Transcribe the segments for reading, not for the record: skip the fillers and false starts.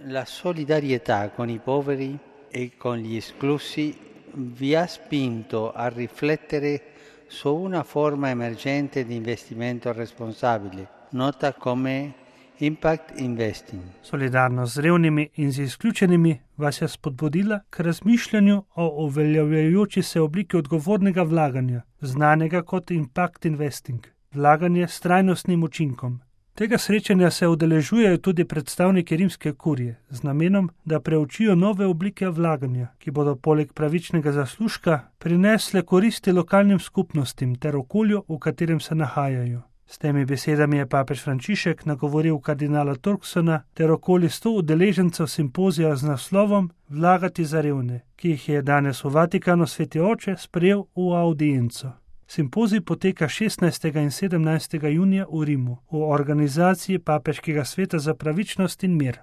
La solidarietà con i poveri e con gli esclusi vi ha spinto a riflettere su una forma emergente di investimento responsabile, nota come impact investing. Solidarnost z revnimi in z izključenimi vas je spodbudila k razmišljanju o uveljavljajoči se obliki odgovornega vlaganja, znanega kot impact investing, vlaganje s trajnostnim učinkom. Tega srečanja se udeležujejo tudi predstavniki rimske kurije z namenom, da preučijo nove oblike vlaganja, ki bodo poleg pravičnega zaslužka prinesle koristi lokalnim skupnostim ter okolju, v katerem se nahajajo. S temi besedami je papež Frančišek nagovoril kardinala Turksona ter okoli 100 udeležencev simpozija z naslovom Vlagati za revne, ki jih je danes v Vatikanu Sveti oče sprejel v audienco. Simpozij poteka 16. in 17. junija v Rimu v organizaciji Papeškega sveta za pravičnost in mir.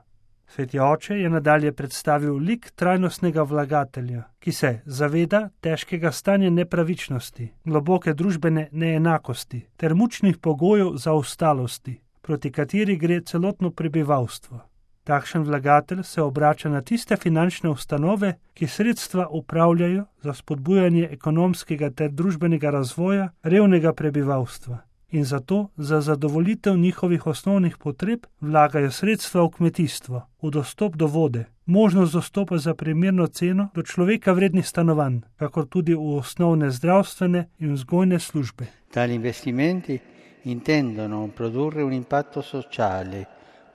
Sveti oče je nadalje predstavil lik trajnostnega vlagatelja, ki se zaveda težkega stanja nepravičnosti, globoke družbene neenakosti ter mučnih pogojev zaostalosti, proti kateri gre celotno prebivalstvo. Takšen vlagatelj se obrača na tiste finančne ustanove, ki sredstva upravljajo za spodbujanje ekonomskega ter družbenega razvoja revnega prebivalstva in zato za zadovoljitev njihovih osnovnih potreb vlagajo sredstva v kmetijstvo, v dostop do vode, možnost dostopa za primerno ceno do človeka vrednih stanovanj, kakor tudi v osnovne zdravstvene in vzgojne službe. Tali investimenti intendono produrre un impatto sociale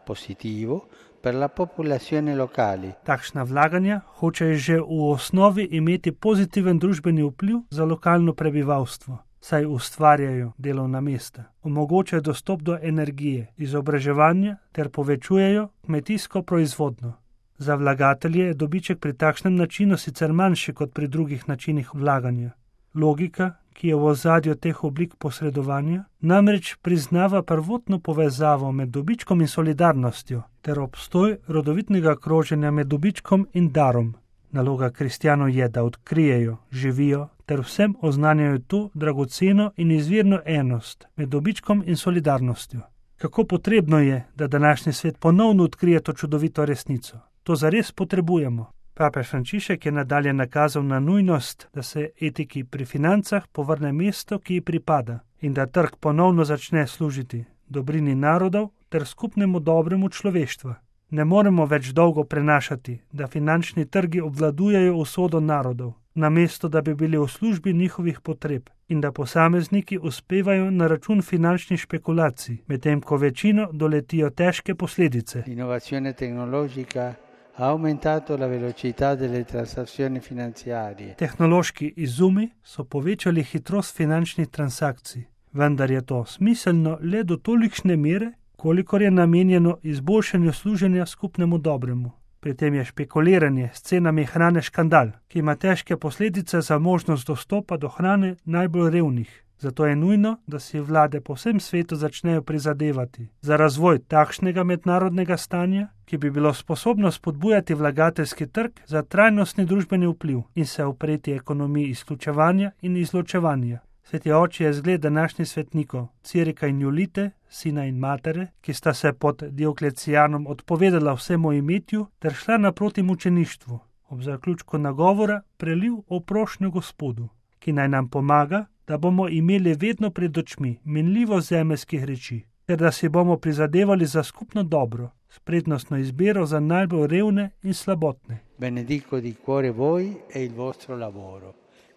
positivo per la popolazione locali. Takšna vlaganja hočejo že v osnovi imeti pozitiven družbeni vpliv za lokalno prebivalstvo, saj ustvarjajo delovna mesta, omogočajo dostop do energije, izobraževanja ter povečujejo kmetijsko proizvodnjo. Za vlagatelje je dobiček pri takšnem načinu sicer manjši kot pri drugih načinih vlaganja. Logika, ki je v ozadju teh oblik posredovanja, namreč priznava prvotno povezavo med dobičkom in solidarnostjo ter obstoj rodovitnega kroženja med dobičkom in darom. Naloga kristjanov je, da odkrijejo, živijo ter vsem oznanjajo to dragoceno in izvirno enost med dobičkom in solidarnostjo. Kako potrebno je, da današnji svet ponovno odkrije to čudovito resnico. To zares potrebujemo. Papež Frančišek je nadalje nakazal na nujnost, da se etiki pri financah povrne mesto, ki ji pripada, in da trg ponovno začne služiti dobrini narodov ter skupnemu dobremu človeštva. Ne moremo več dolgo prenašati, da finančni trgi obvladujejo usodo narodov, namesto da bi bili v službi njihovih potreb in da posamezniki uspevajo na račun finančnih špekulacij, medtem ko večino doletijo težke posledice. L'innovazione tecnologica ha aumentato la velocità delle transazioni finanziarie. Tehnološki izumi so povečali hitrost finančnih transakcij, vendar je to smiselno le do tolikšne mere, kolikor je namenjeno izboljšanju služenja skupnemu dobremu. Pri tem je špekuliranje s cenami hrane škandal, ki ima težke posledice za možnost dostopa do hrane najbolj revnih. Zato je nujno, da si vlade po vsem svetu začnejo prizadevati za razvoj takšnega mednarodnega stanja, ki bi bilo sposobno spodbujati vlagateljski trg za trajnostni družbeni vpliv in se upreti ekonomiji izključevanja in izločevanja. Sveti oče je zgled današnjih svetnikov, Cirika in Julite, sina in matere, ki sta se pod Dioklecijanom odpovedala vsemu imetju ter šla naproti mučeništvu. Ob zaključku nagovora preliv o prošnjo Gospodu, ki naj nam pomaga, da bomo imeli vedno pred očmi minljivo zemeljskih reči, ter da si bomo prizadevali za skupno dobro, s prednostno izbiro za najbolj revne in slabotne. Benedico di cuore voi e il vostro lavoro.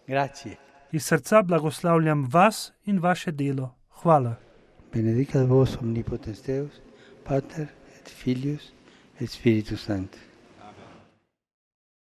Grazie. Iz srca blagoslavljam vas in vaše delo. Hvala. Benedicat vos omnipotens Deus, Pater et Filius et Spiritus Sanctus.